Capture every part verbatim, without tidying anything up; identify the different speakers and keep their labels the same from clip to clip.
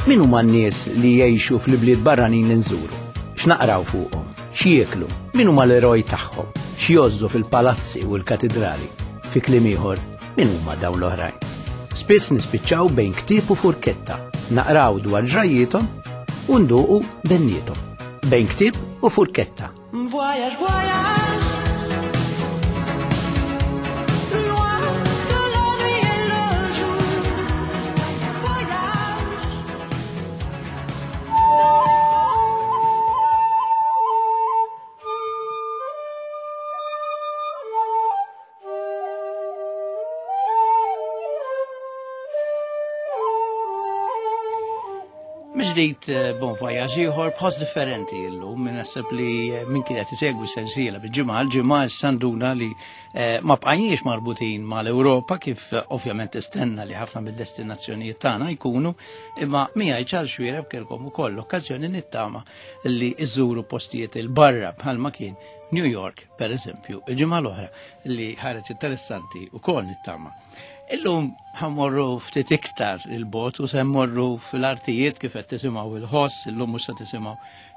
Speaker 1: Min huma n-nies li jgħixu fl-ibliet barranin li nżuru? X'naqraw fuqhom? X'jieklu? Min huma l-eroj tagħhom? X'jgħożżu fil-palazzi u l-katidrali? Fi kliem ieħor, min huma dawn l-oħrajn? Spiss nispiċċaw bejn ktieb u furketta, naqraw dwar ġrajjiethom u nduqu benniethom. Bejn ktieb u furketta.
Speaker 2: Voyage, voyage. Loin de la nuit et le jour. Voyage.
Speaker 1: Miġdijt bon voyage ieħor b'ħoss differenti illum, minn naħseb li eh, min kienet isegwi sensiela bil-ġimgħa l-ġimgħa sanduna li eh, ma bqajniex marbutin mal-Ewropa kif eh, ovvjament tistenna li ħafna mid-destinazzjonijiet tagħna jkunu, imma miegħi ċar xwiereb kelkom ukoll l-okkażjoni nittama li iżuru postijiet il-barra bħalma kien New York, per eżempju, il-ġimgħa l-oħra li ħareġ interessanti ukoll nittama. Illum ħammorru ftit iktar il-bot u se mmorru fil-artijiet kif qed tisimgħu il-ħoss, illum mhux se tisimgħu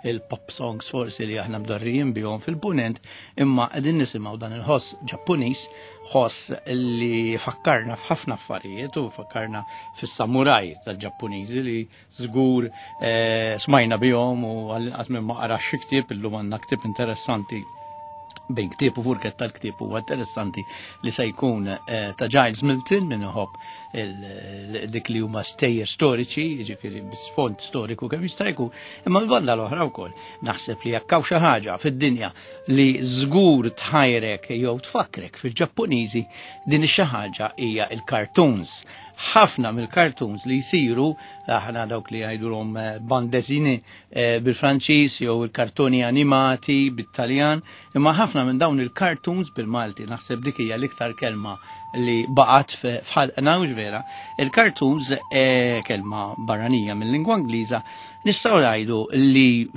Speaker 1: il-pop songs forsi li aħna mdorrijin bihom fil-punent, imma qegħdin nisimgħu dan il-ħoss Ġappuniż, ħoss li fakkarna f'ħafna affarijiet u fakkarna fis-samuraj tal-Ġappuniżi li żgur eh, smajna bihom u għall-inqas minn ma qarax xi ktieb, illum għandna ktieb interessanti bejn ktieb u furketta tal-ktieb huwa interessanti li se jkun eh, ta' Giles Milton min iħobb il- dik li huma stejjer storiċi, jiġifieri b'sfond storiku kemm jista' jkun, imma l-banda l-oħra wkoll naħseb li jekk hawn xi ħaġa fid-dinja li żgur tħajrek jew tfakkrek fil-Ġappuniżi, din ix-xi ħaġa hija il-cartoons. Ħafna mill-cartoons li jsiru, aħna dawk li jgħidulhom, eh, bande dessinée, eh, bil-Franċiż jew il-kartoni animati bit-Taljan, imma ħafna minn dawn il-cartoons bil-Malti, naħseb dik hija l-iktar kelma li baqgħet f-, f'ħalqna, mhux vera. Il-cartoons, eh, kelma barranija mill-lingwa Ingliża, nistgħu ngħidu li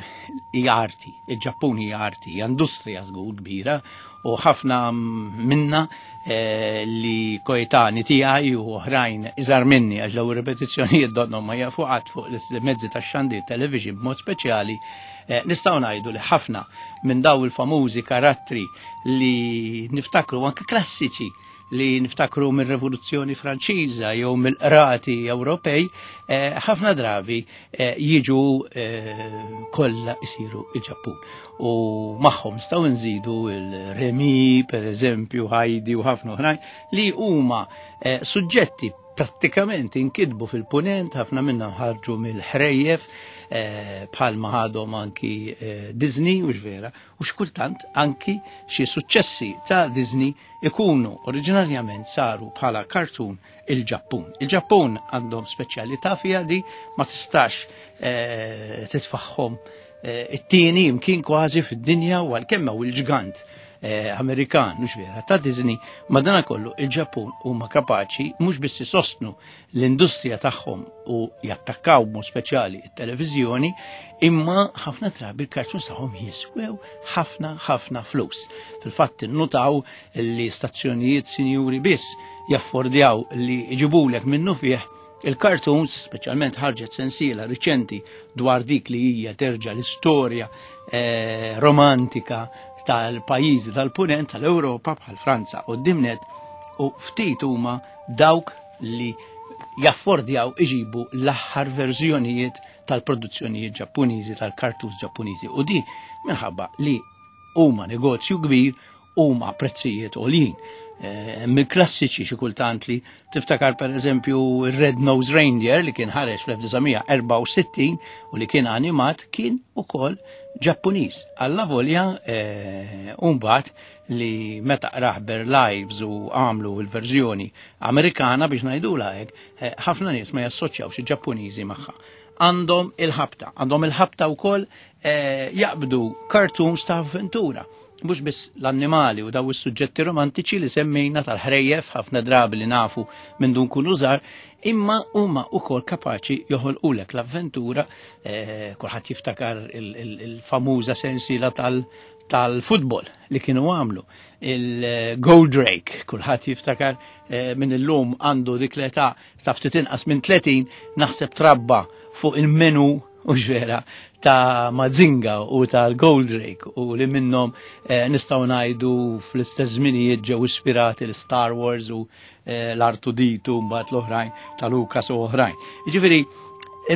Speaker 1: hija arti, il-Ġappun hija arti, hija industrija żgur kbira, u ħafna minna, eh, li koetani tiegħi u oħrajn iżgħar minni, għax daw ir-ripetizzjonijiet donnhom ma jafu qatt fuq l-mezzi tax-xandir television b'mod speċjali, eh, nistgħu ngħidu li ħafna minn daw il-famużi karattri li niftakru anke klassiċi li niftakru mir-Rivoluzzjoni Franċiża jew mill-qrati Ewropej, eh, ħafna drabi, eh, jiġu, eh, kollha isiru il-Ġappun. U magħhom nistgħu nżidu il-Remi, per eżempju, Heidi u ħafna oħrajn li huma, eh, suġġetti prattikament inkitbu fil-punent, ħafna minnhom ħarġu mill-ħrejjef, eh, bħalma ħadhom anki, eh, Disney, u vera, u xkultant anki xi suċċessi ta' Disney ikunu oriġinarjament saru bħala cartoon il-Ġappun. Il-Ġappun għandhom speċjalità fiha di ma tistax, eh, titfaħħom, eh, it-tieni imkien kważi fid-dinja, u għalkemm hawn il-ġgant, eh, Amerikan, mhux vera, ta' Disney, madanakollu il-Ġappun huma kapaċi mhux biss isostnu l-industrija tagħhom u jattakkaw b'mod speċjali it-televiżjoni, imma ħafna drabi il-cartoons tagħhom jiswew ħafna, ħafna flus. Fil-fatt innutaw li stazzjonijiet sinjuri biss jaffordjaw li jġibulek minnu fih il-cartoons, speċjalment ħarġet sensiela riċenti dwar dik li hija terġa' l-istorja, eh, romantika tal-pajjiżi tal-punent tal-Ewropa bħal Franza u d-Dimnet, u ftit huma dawk li jaffordjaw iġibu l-aħħar verżjonijiet tal-produzzjonijiet Ġappuniżi, tal-cartoons Ġappuniżi, u di minħabba li huma negozju kbir, huma prezzijiet għoljin. Eh, mill-klassiċi xi kultant li tiftakar per eżempju Red Nose Reindeer li kien ħareġ fl-elf disa' mija erbgħa u sittin u li kien animat kien ukoll Ġappuniż. Alla volja, eh, mbagħad li meta qrah Lives u għamlu l-verżjoni Amerikana biex ngħidulha hekk, eh, ħafna nies ma jassoċjawx il-Ġappuniżi magħha. Għandhom il-ħabta, għandhom il-ħabta wkoll, eh, jaqbdu cartoons ta' avventura. Mhux biss l-annimali u daw is-suġġetti romantiċi li semmejna tal-ħrejjef ħafna drabi li nafu minn dun kunu żgħar, imma huma wkoll kapaċi joħolqulek l-avventura, eh, kulħadd jiftakar il-, il-, il-famuża sensiela tal-, tal-futbol li kienu għamlu, il-Goldrake, kulħadd jiftakar, eh, minn illum għandu dik l-età ta' ftit inqas minn tletin, naħseb trabba fuq il-menu u ġvera ta' Mazinga u tal-Goldrake u li minnhom eh, nistgħu ngħidu fl-istess żminijiet ġew ispirati l-Star Wars u eh, l-R two D two mbagħad l-oħrajn ta' Lucas u oħrajn. Jiġifieri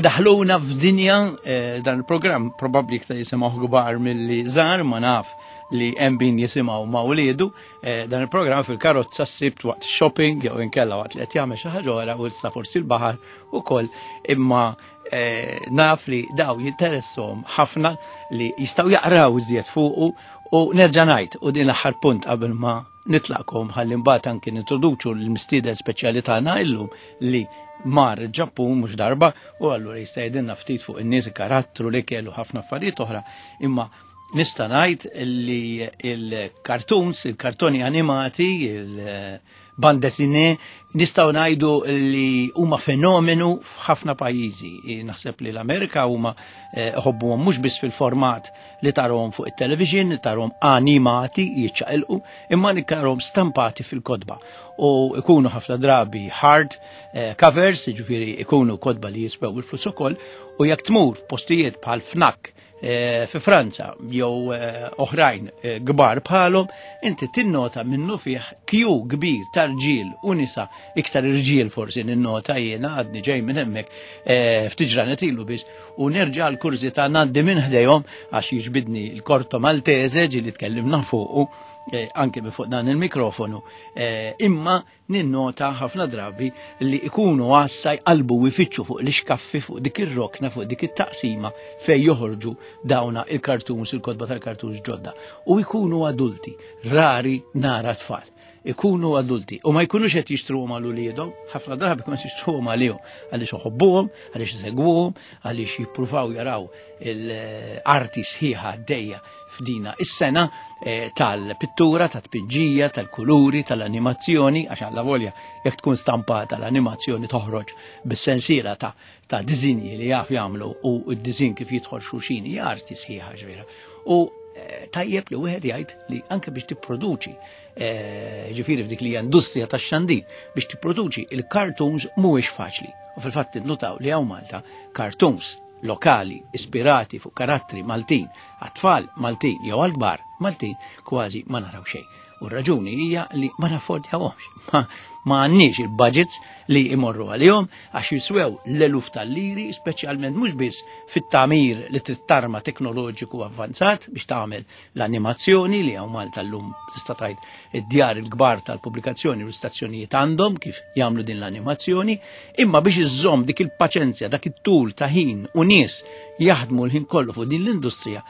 Speaker 1: daħluna f'dinja, eh, dan il-programm probabbli iktar jisimgħu kbar milli żgħar, ma naf li hemm min jisimgħu ma' wliedu, eh, dan il-programm fil-karozza s-sibt waqt shopping jew inkella waqt li qed jagħmel xi ħaġa oħra u issa forsi l-baħar ukoll, imma, eh, naf li daw jinteresshom ħafna li jistgħu jaqraw iżjed fuqu. U nerġa' ngħid, u din l-aħħar punt qabel ma nitlaqkom ħalli mbagħad anki nintroduċu l-mistieden speċjali tagħna illum li mar il-Ġappun mhux darba, u allura jista' jgħidilna ftit fuq in-nies, il-karattru li kellu ħafna affarijiet oħra, imma nista' ngħid li il-cartoons, il-kartoni animati, il-bande dessinée, nistgħu ngħidu li huma fenomenu f'ħafna pajjiżi. Naħseb li l-Amerika huma, eh, ħobbuhom mhux biss fil-format li tarahom fuq it-television, li tarahom animati jiċċaqilqu, imma li tarahom stampati fil-kotba. U ikunu ħafna drabi hard, eh, covers, jiġifieri ikunu kotba li jiswew il-flus ukoll, u jekk tmur f'postijiet bħal Fnac, eh, fi Franza jew, eh, oħrajn, eh, kbar bħalhom, inti tinnota minnu fih kju kbir ta' rġiel u nisa, iktar irġiel forsi ninnota jiena għadni ġej minn hemmhekk, eh, ftit ġranet ilu biss, u nerġa' l-kurżità ngħaddi minn ħdejhom għax jiġbidni l-Corto Maltese ġi li tkellimna fuqu, eh, anke minn fuq dan il-mikrofonu, eh, imma ninnota ħafna drabi li ikunu għassa jqalbu u jfittxu fuq l-ixkaffi, fuq dik ir-rokna, fuq dik it-taqsima fej joħorġu dawna il-cartoons, il-kotba tal-cartoons ġodda. U jkunu adulti, rari nara tfal. Ikunu adulti u ma jkunux qed jixtruhom għal uliedhom, ħafna drabi jkunu qed jixtruhom għalihom, għaliex iħobbuhom, għaliex isegwuhom, għaliex jippruvaw jaraw l-arti sħiħa għaddejja f'dina is-sena, eh, tal-pittura, tat-tpinġija, tal-kuluri, tal-animazzjoni, għax alla volja jekk tkun stampata l-animazzjoni toħroġ bis-sensiela ta', ta' disinji li jaf jagħmlu, u d-disin kif jidħol xulxin hija arti sħiħa ġvera. U, eh, tajjeb li wieħed jgħid li anke biex tipproduċi, eh, ġifieri f'dik li hija industrija tax-xandir, biex tipproduċi il-cartoons mhuwiex faċli. U fil-fatt innutaw li hawn Malta cartoons lokali ispirati fuq karattri Maltin, għat-tfal Maltin jew għall-kbar Maltin, kważi ma naraw xejn. U r-raġuni hija li ma naffordjawhomx. Ma, ma għandniex il-budgets li imorru għalihom għax jiswew l-eluf tal-liri, speċjalment mhux biss fit-tagħmir li trid tarma teknoloġiku avvanzat biex tagħmel l-animazzjoni li hawn Malta llum tista' tgħid id-djar il-kbar tal-pubblikazzjoni u l-istazzjonijiet għandhom kif jagħmlu din l-animazzjoni, imma biex iżżomm dik il-paċenzja, dak it-tul ta' ħin u nies jaħdmu l-ħin kollu fuq din l-industrija,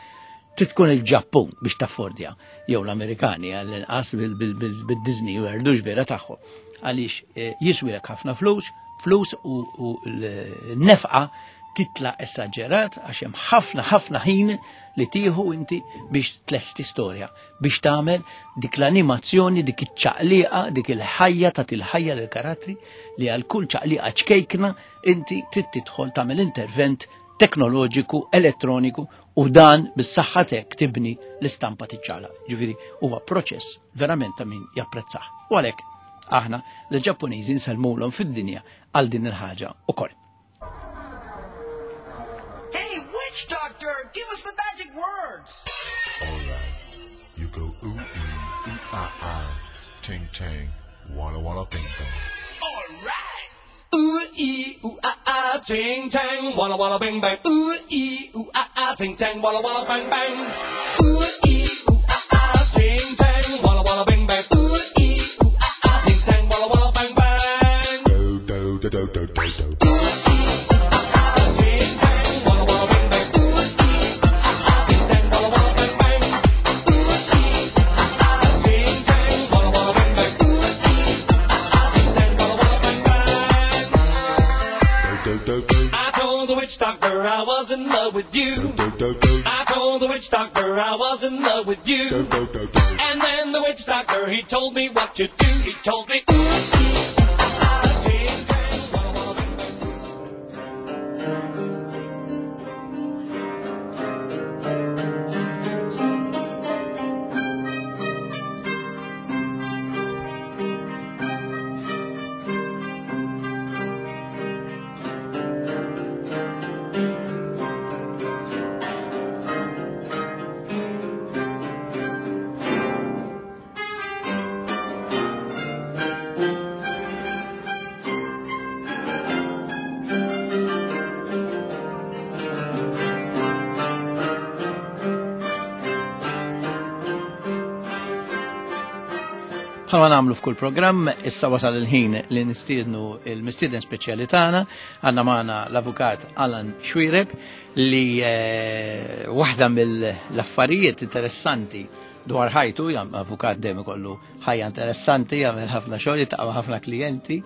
Speaker 1: trid tkun il-Ġappun biex taffordja, jew l-Amerikani għall-inqas bil-, bil-, bil-, bil-Disney u erdux vera tagħhom. Għaliex, eh, jiswilek ħafna flus, flus u, u l-nefqa titla esaġerat għax hemm ħafna, ħafna ħin li tieħu inti biex tlesti storja, biex tagħmel dik l-animazzjoni, dik iċ-ċaqliqa, dik il-ħajja ta' til-ħajja lill-karattri li għal kull ċaqliqa ċkejkna inti trid tidħol tagħmel intervent teknoloġiku, elettroniku, u dan bis-saħħa tiegħek tibni l-istampa tiċċala. Ġifieri huwa proċess verament ta' min japprezzah. U għalhekk aħna l-Ġappuniżi nsellmulhom fid-dinja għal din il-ħaġa ukoll.
Speaker 2: Hey, witch doctor, give us the magic words.
Speaker 3: All right, you go ooh ee, ooh ah ah, ting tang, walla walla bing bang.
Speaker 2: All right. Ooh ee, ooh ah ah, ting tang, walla walla bing bang. Ooh ee, ooh ah ah, ting tang, walla walla bang bang. Ooh ee, ooh ah ah, ting tang, walla walla bing bang. Ooh ee, ooh ah ah, ting tang, walla walla bang bang.
Speaker 3: Do do do do do do do.
Speaker 2: Ooh ee, ooh ah ah, ting tang, walla walla bing bang. Ooh ee, ooh ah ah, ting tang, walla walla bang bang. Ooh ee, ooh ah ah, ting tang, walla walla bing bang. Ooh ee, ooh ah ah, ting tang, walla walla bang bang.
Speaker 3: Do do do do.
Speaker 2: I told the witch doctor I was in love with you.
Speaker 3: Do do do.
Speaker 2: I told the witch doctor I was in love with you.
Speaker 3: Do do do do.
Speaker 2: And then the witch doctor, he told me what to do. He told me, ooh, ee, ooh, ah, ah, ting, tang, walla, walla, bang, bang.
Speaker 1: Bħalma nagħmlu f'kull programm, issa wasal il-ħin li nistiednu il-mistieden speċjali tagħna, għandna magħna l-avukat Alan Xuereb li eh, waħda mill-affarijiet interessanti dwar ħajtu, jam avukat dejjem ikollu ħajja interessanti, jagħmel ħafna xogħol, jiltaqa' ħafna klijenti,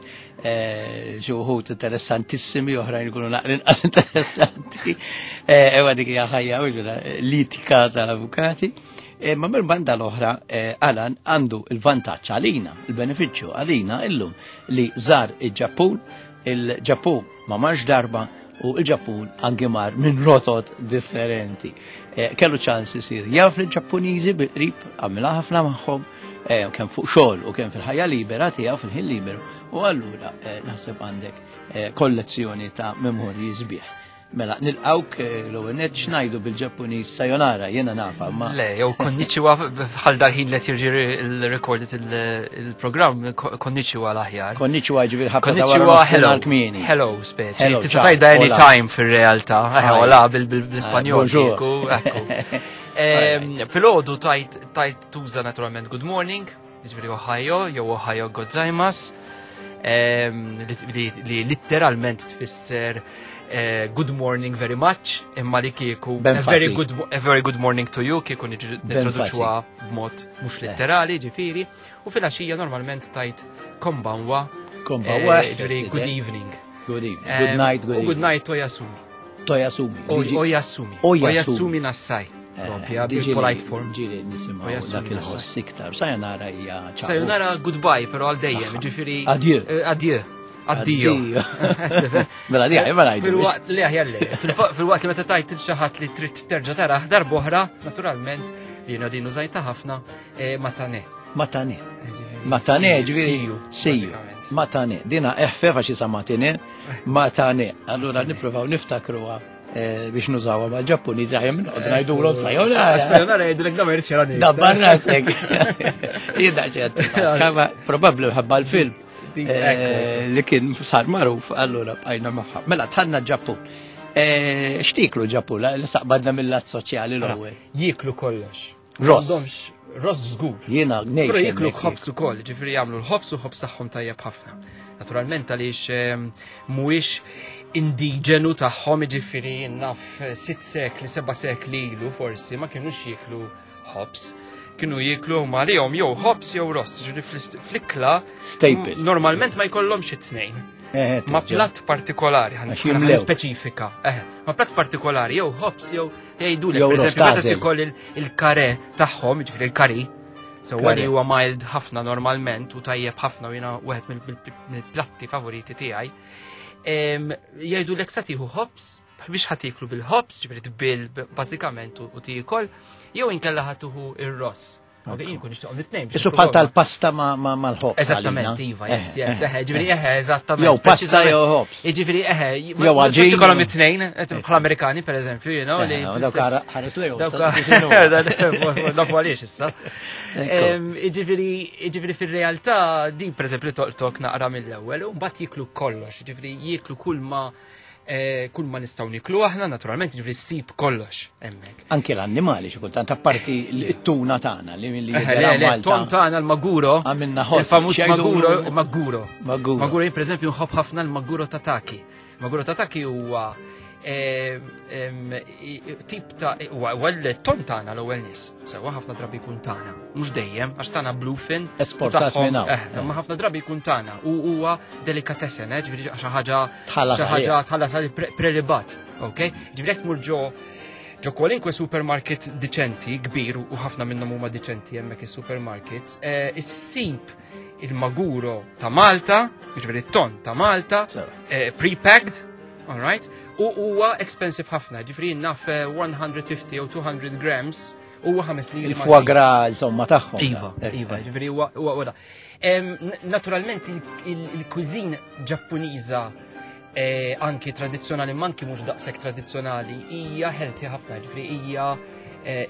Speaker 1: eh, xi wħud interessantissimi, oħrajn ikunu naqra inqas interessanti. Eh, ewa dik hija ħajja litika tal-avukati. Ma minn banda l-oħra, Alan għandu il-vantaġġ għalina, il-benefiċċju għalina illum li żar il-Ġappun, il-Ġappun ma marx darba u il-Ġappun anki mar minn rotot differenti. Kellu ċans isir jaf il-Ġappuniżi bil-qrib, għamilha ħafna magħhom, kemm fuq xogħol u kemm fil-ħajja libera tiegħu fil-ħin liberu. U allura naħseb għandek kollezzjoni ta' memorji sbieħ. Mela, nilqawk l-ewwel nett x'ngħidu bil-Ġappuniż sayonara, jiena nafa, ma.
Speaker 4: Le, jew konnichiwa bħal dal-ħin li jiġi recorded il-programm, konnichiwa l-aħjar.
Speaker 1: Konnichiwa ġifieri ħabta ta' wara
Speaker 4: hello,
Speaker 1: kmieni.
Speaker 4: Hello, speċi. Tista' tgħidha anytime fir-realtà. Hola bil-Ispanjol. Filgħodu tajt tajt tuża naturalment good morning, ġifieri ohayo, jew ohayo gozaimasu, li litteralment tfisser good morning very much, imma li kieku a very good, a very good morning to you, kieku nitraduċuha b'mod mhux letterali, ġifieri, u fil-għaxija normalment tajt konbanwa,
Speaker 1: konbanwa,
Speaker 4: ġifieri good evening.
Speaker 1: Good evening. Good night, good
Speaker 4: evening. Good night oyasumi.
Speaker 1: Toyasumi.
Speaker 4: Oyasumi. Oyasumi nasai. Propja, bil-polite form.
Speaker 1: Ġieli nisimgħu dak il-ħoss iktar. Sayonara hija
Speaker 4: ċaw. Sayonara goodbye, però għal dejjem, ġifieri.
Speaker 1: Adieu.
Speaker 4: Adieu. Addio.
Speaker 1: Mela di mela jgħidu.
Speaker 4: Fil-waqt li aħjar le. Fil-waqt li meta tajt il xi ħadd li trid terġa' taraħ darb'oħra, naturalment li jiena din użajta ħafna matane.
Speaker 1: Matane. Matane ġifieri see you. Matane. Dina eħfef għax isa matine. Matane. Allura nippruvaw niftakruha biex nużawha mal-Ġappuniżi aħjar minn noqgħod ngħidulhom sayonara.
Speaker 4: Sayonara jgħidulek da ma jridx jarani.
Speaker 1: Dabbar rasek. Jiena ċert. Probabbli ħabba l-film. Li kien sar magħruf, allura bqajna magħha. Mela tħanna Ġappun. X'tieklu Ġappun? Li saqbadna mill-lat soċjali l-ewwel.
Speaker 4: Jieklu kollox.
Speaker 1: Ross.
Speaker 4: Ross żgur.
Speaker 1: Jiena ngħix.
Speaker 4: Però jieklu ħobż ukoll, ġifieri jagħmlu l-ħobż u ħobż tagħhom tajjeb ħafna. Naturalment għaliex mhuwiex indiġenu tagħhom, ġifieri naf sitt sekli, seba' sekli ilu forsi ma kinux jieklu ħobż. Kienu jieklu huma għalihom jew ħobż jew ross, ġifieri fl-ikla
Speaker 1: staple.
Speaker 4: Normalment ma jkollhomx it-tnejn. Ma platt partikolari, ħan speċifika. Ma platt partikolari jew ħobż jew jgħidulek, pereżempju meta tikol il-kare tagħhom, ġifieri il-kari, sewwa li huwa mild ħafna normalment u tajjeb ħafna u jiena wieħed mill-platti favoriti tiegħi. Jgħidulek sa tieħu ħobż biex ħa tieklu bil-ħobż, ġifieri tbil bażikament u tiekol, jew inkella ħa tuħu ir-ross. Ok, jien kun nixtieqhom it-tnejn.
Speaker 1: Isu bħal tal-pasta mal-ħobż.
Speaker 4: Eżattament, iva, yes, yes, eħe, ġifieri eħe, eżattament.
Speaker 1: Jew pasta jew ħobż.
Speaker 4: Jiġifieri eħe, jew għaġin. Ikollhom it-tnejn, bħal Amerikani pereżempju, you know, li.
Speaker 1: Dawk ħares lejhom.
Speaker 4: Nafu għaliex issa. Jiġifieri, jiġifieri fir-realtà din pereżempju toqtok naqra mill-ewwel u mbagħad jieklu kollox, jiġifieri jieklu kull ma kull ma nistgħu niklu aħna naturalment, ġifieri ssib kollox hemmhekk.
Speaker 1: Anke l-annimali xi kultant apparti t-tuna tagħna li li jidher
Speaker 4: Ton tagħna l-maguro,
Speaker 1: għamilna ħoss.
Speaker 4: Il-famuż maguro, maguro.
Speaker 1: Maguro.
Speaker 4: Maguro jien pereżempju nħobb ħafna l-maguro tataki. Maguro tataki huwa tip ta' huwa l-ton tagħna l-ewwel nies. Sewwa ħafna drabi jkun tagħna, mhux dejjem għax tagħna bluefin.
Speaker 1: Esportat minn hawn.
Speaker 4: Imma ħafna drabi jkun tagħna u huwa delicatessen, ġifieri xi ħaġa xi ħaġa tħallas għal prelibat, ok? Ġifieri jekk tmur ġo ġo kwalinkwe supermarket diċenti kbir u ħafna minnhom huma diċenti hemmhekk is-supermarkets, issib il-maguro ta' Malta, ġifieri t-ton ta' Malta, pre-packed, all right? U huwa expensive ħafna, ġifieri naf one hundred fifty jew two hundred grams huwa ħames liri.
Speaker 1: Il-foie gras insomma tagħhom.
Speaker 4: Iva, iva, ġifieri huwa huwa Naturalment il-cuisine Ġappuniża anki tradizzjonali, ma anki mhux daqshekk tradizzjonali, hija healthy ħafna, ġifieri hija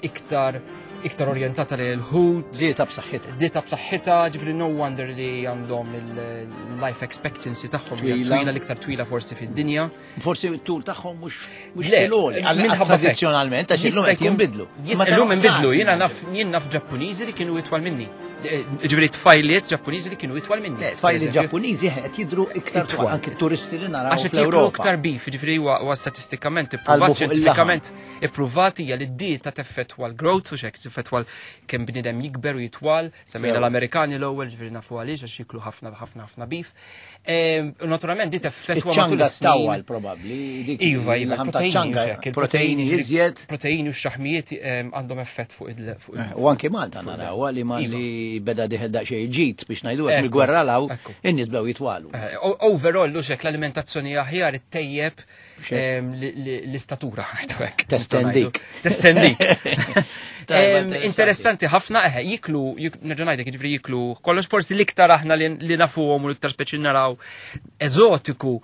Speaker 4: iktar iktar orjentata lil ħut.
Speaker 1: Dieta b'saħħitha.
Speaker 4: Dieta b'saħħitha, ġifieri no wonder li għandhom il-life expectancy tagħhom hija twila, l-iktar twila forsi fid-dinja.
Speaker 1: Forsi t-tul tagħhom mhux mhux fil-għoli, tradizzjonalment għax illum qed jinbidlu.
Speaker 4: Illum inbidlu, jiena naf jien naf Ġappuniżi li kienu itwal minni. Ġifieri tfajliet Ġappuniżi li kienu itwal minni.
Speaker 1: Tfajliet Ġappuniżi qed jidhru iktar twal, anke turisti li naraw.
Speaker 4: Għax qed jiklu iktar beef, ġifieri huwa statistikament ippruvat, xjentifikament ippruvat hija li d-dieta teffettwa l-growth u x'hekk teffettwa kemm bniedem jikber u jitwal, semmejna l-Amerikani l-ewwel, ġifieri nafu għaliex għax jiklu ħafna ħafna ħafna beef. Naturalment di teffettwa matul
Speaker 1: is-snin. Probabbli.
Speaker 4: Iva, iva,
Speaker 1: il-proteini iżjed.
Speaker 4: Proteini u x-xaħmijiet għandhom effett fuq il-
Speaker 1: U anke Malta naraw li ma li beda diħel daqsxejn ġid biex ngħidu hekk mill-gwerra law in-nies bdew jitwalu.
Speaker 4: Overall hekk l-alimentazzjoni aħjar ittejjeb l-istatura ngħidu hekk.
Speaker 1: Testendik.
Speaker 4: Testendik. Interessanti ħafna eħe jiklu, nerġa' ngħidlek jiġifieri jiklu kollox, forsi l-iktar aħna li nafuhom u l-iktar speċi naraw eżotiku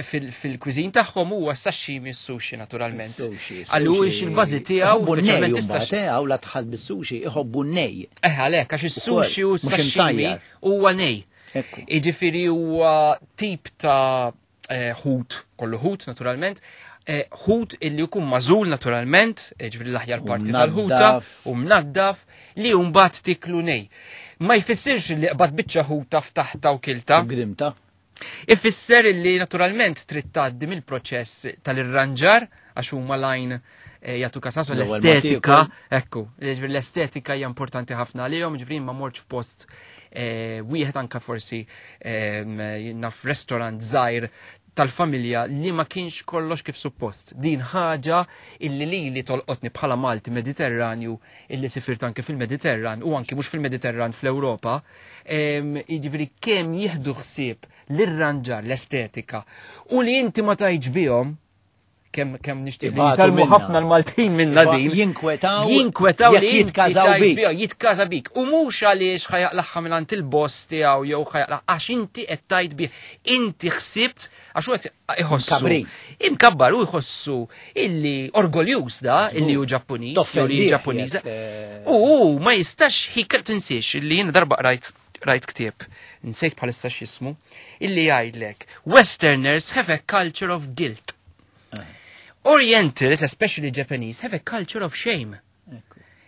Speaker 4: fil-kwiżin tagħhom huwa s-sashimi u s-sushi naturalment. Għaliex il-bażi tiegħu
Speaker 1: speċjalment issa la tħall bis-sushi iħobbu nej.
Speaker 4: Eh għalhekk għax is-sushi u s-sashimi huwa nej. Jiġifieri huwa tip ta' ħut, kollu ħut naturalment, ħut illi jkun mażul naturalment, ġifieri l-aħjar parti tal-ħuta u mnaddaf li mbagħad tiklu nej. Ma jfissirx li qbad biċċa ħuta ftaħta u kilta.
Speaker 1: Grimta.
Speaker 4: Ifisser illi naturalment trid tgħaddi mill-proċess tal-irranġar għax huma lajn jagħtu kasasu l-estetika, ekku, ġifieri l-estetika hija importanti ħafna għalihom, ġifieri ma mortx f'post wieħed anka forsi naf restaurant żgħir tal-familja li ma kienx kollox kif suppost. Din ħaġa illi li li tolqotni bħala Malti Mediterranju illi sifirt anke fil-Mediterran u anke mhux fil-Mediterran fl-Ewropa, jiġifieri kemm jieħdu ħsieb l-irranġar, l-estetika u li inti ma tgħidx bihom kemm kemm nixtieq li jitalmu ħafna l-Maltin minna din.
Speaker 1: Jinkwetaw.
Speaker 4: Jinkwetaw li
Speaker 1: jitkażaw bik.
Speaker 4: Jitkaża bik. U mhux għaliex ħajaqlaħħa minn il-boss tiegħu jew ħajaqlaħ għax inti qed tgħid bih. Inti ħsibt għax hu qed iħossu. Imkabbar u jħossu illi orgoljus da illi hu Ġappuniż jew li Ġappuniża. U ma jistax ħiker tinsiex illi jiena darba qrajt rajt ktieb, nsejt bħalissa x'ismu, illi jgħidlek Westerners have a culture of guilt. Orientals, especially Japanese, have a culture of shame.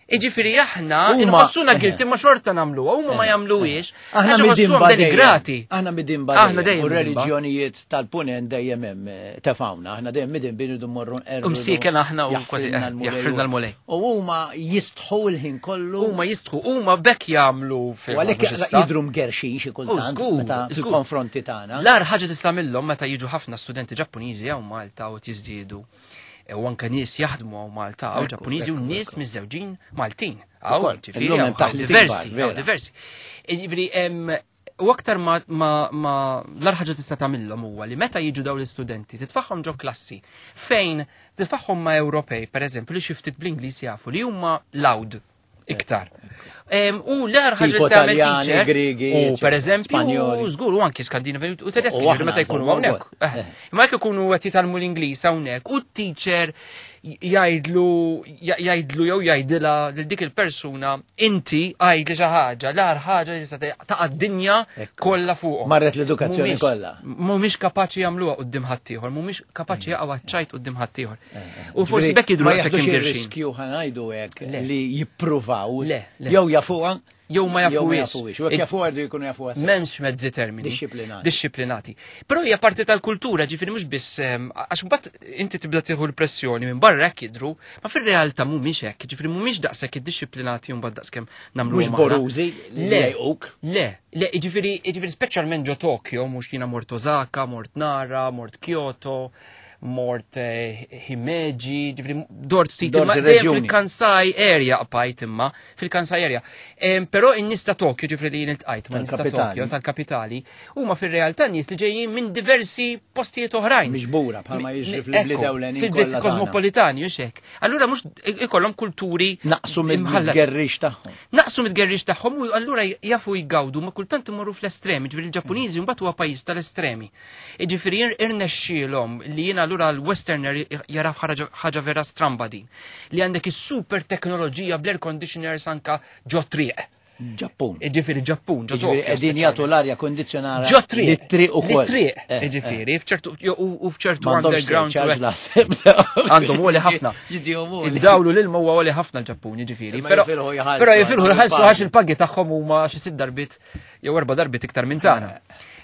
Speaker 4: Iġifieri aħna inħossuna guilty ma xorta nagħmluha, huma ma jagħmluhiex.
Speaker 1: Aħna midinba denigrati. Aħna midinba
Speaker 4: aħna dejjem
Speaker 1: u reliġjonijiet tal-punent dejjem hemm tefawna, aħna dejjem midinba iridu mmorru nqerru.
Speaker 4: Umsiken aħna u kważi jaħfrilna l-Mulej.
Speaker 1: U huma jistħu l-ħin kollu.
Speaker 4: Huma jistħu, huma bekk jagħmlu
Speaker 1: fil. U għalhekk jidhru mgerxin xi kultant meta fil-konfronti tagħna.
Speaker 4: L-agħar ħaġa tista' minnhom meta jiġu ħafna studenti Ġappuniżi hawn Malta u tiżdiedu. U anke nies jaħdmu hawn Malta, hawn Ġappuniżi u nies miżżewġin Maltin. Hawn ġifieri diversi, hawn diversi. Jiġifieri u aktar ma ma l-agħar ħaġa tista' tagħmilhom huwa li meta jiġu dawn l-istudenti titfaħħom ġo klassi fejn titfaħħom ma' Ewropej, pereżempju, li xi ftit bl-Ingliż jafu li huma loud iktar. U l-agħar ħaġa li tagħmel teacher, u pereżempju, żgur u anke Skandinavi u Tedeski ġifieri meta jkunu hawnhekk. Imma jekk ikunu qed jitgħallmu l-Ingliż hawnhekk u t-teacher jgħidlu jgħidlu jew jgħidilha lil dik il-persuna inti għajdli xi ħaġa, l-agħar ħaġa li tista' taqa' d-dinja kollha fuqhom.
Speaker 1: Marret l-edukazzjoni kollha.
Speaker 4: Mhumiex kapaċi jagħmluha quddiem ħaddieħor, mhumiex kapaċi jaqgħu għaċ-ċajt quddiem ħaddieħor. U forsi bekk jidhru daqshekk imgerxin.
Speaker 1: Riskju ħa ngħidu hekk li jippruvaw jew jafuha
Speaker 4: jew ma jafuhiex.
Speaker 1: U jekk jafuha jridu jkunu jafuha sew.
Speaker 4: M'hemmx mezzi termini.
Speaker 1: Dixxiplinati.
Speaker 4: Dixxiplinati. Però hija parti tal-kultura, ġifieri mhux biss għax mbagħad inti tibda tieħu l-pressjoni minn barra hekk jidhru, ma fir-realtà mhumiex hekk, ġifieri mhumiex daqshekk iddixxiplinati u mbagħad daqskemm nagħmluhom.
Speaker 1: Mhux borużi li jgħuq.
Speaker 4: Le, le, ġifieri ġifieri speċjalment ġo Tokyo, mhux jiena mort Osaka, mort Nara, mort Kyoto, mort Himeji, ġifieri dort ftit imma fil-Kansai area qbajt imma, fil-Kansai area. Però in-nies ta' Tokyo, ġifieri li jien iltqajt ma' nies ta' Tokyo tal-kapitali, huma fir-realtà nies li ġejjin minn diversi postijiet oħrajn.
Speaker 1: Miġbura bħalma jiġri fil-bliet ewlenin.
Speaker 4: Fil-bliet kosmopolitani u xek. Allura mhux ikollhom kulturi
Speaker 1: naqsu mid-gerrix tagħhom.
Speaker 4: Naqsu mid-gerrix tagħhom u allura jafu jgawdu ma kultant imorru fl-estremi, ġifieri il-Ġappuniżi mbagħad huwa pajjiż tal-estremi. Jiġifieri irnexxielhom li jiena allura l-Westerner jara ħaġa vera stramba din. Li għandek is-super teknoloġija bl-air conditioners anka ġo triq.
Speaker 1: Ġappun.
Speaker 4: Ġifieri Ġappun, ġo
Speaker 1: Ġifieri
Speaker 4: Tokyo.
Speaker 1: qegħdin jagħtu l-arja kondizzjonata
Speaker 4: Ġo triq.
Speaker 1: Lit-triq ukoll.
Speaker 4: Lit-triq,
Speaker 1: Eh, eh.
Speaker 4: ġifieri, f'ċertu u f'ċertu
Speaker 1: M'għandhomx
Speaker 4: underground.
Speaker 1: surcharge naħseb.
Speaker 4: Għandhom għoli ħafna.
Speaker 1: Jiġihom għoli.
Speaker 4: Id-dawlu l-ilma huwa għoli ħafna l-Ġappun, ġifieri.
Speaker 1: Imma
Speaker 4: Però
Speaker 1: jifilħu jħallsu
Speaker 4: però jifilħu
Speaker 1: għandhom
Speaker 4: jħallsu
Speaker 1: il-pagi.
Speaker 4: għax il-pagi tagħhom huma xi sitt darbit jew erba' darbit iktar minn tagħna.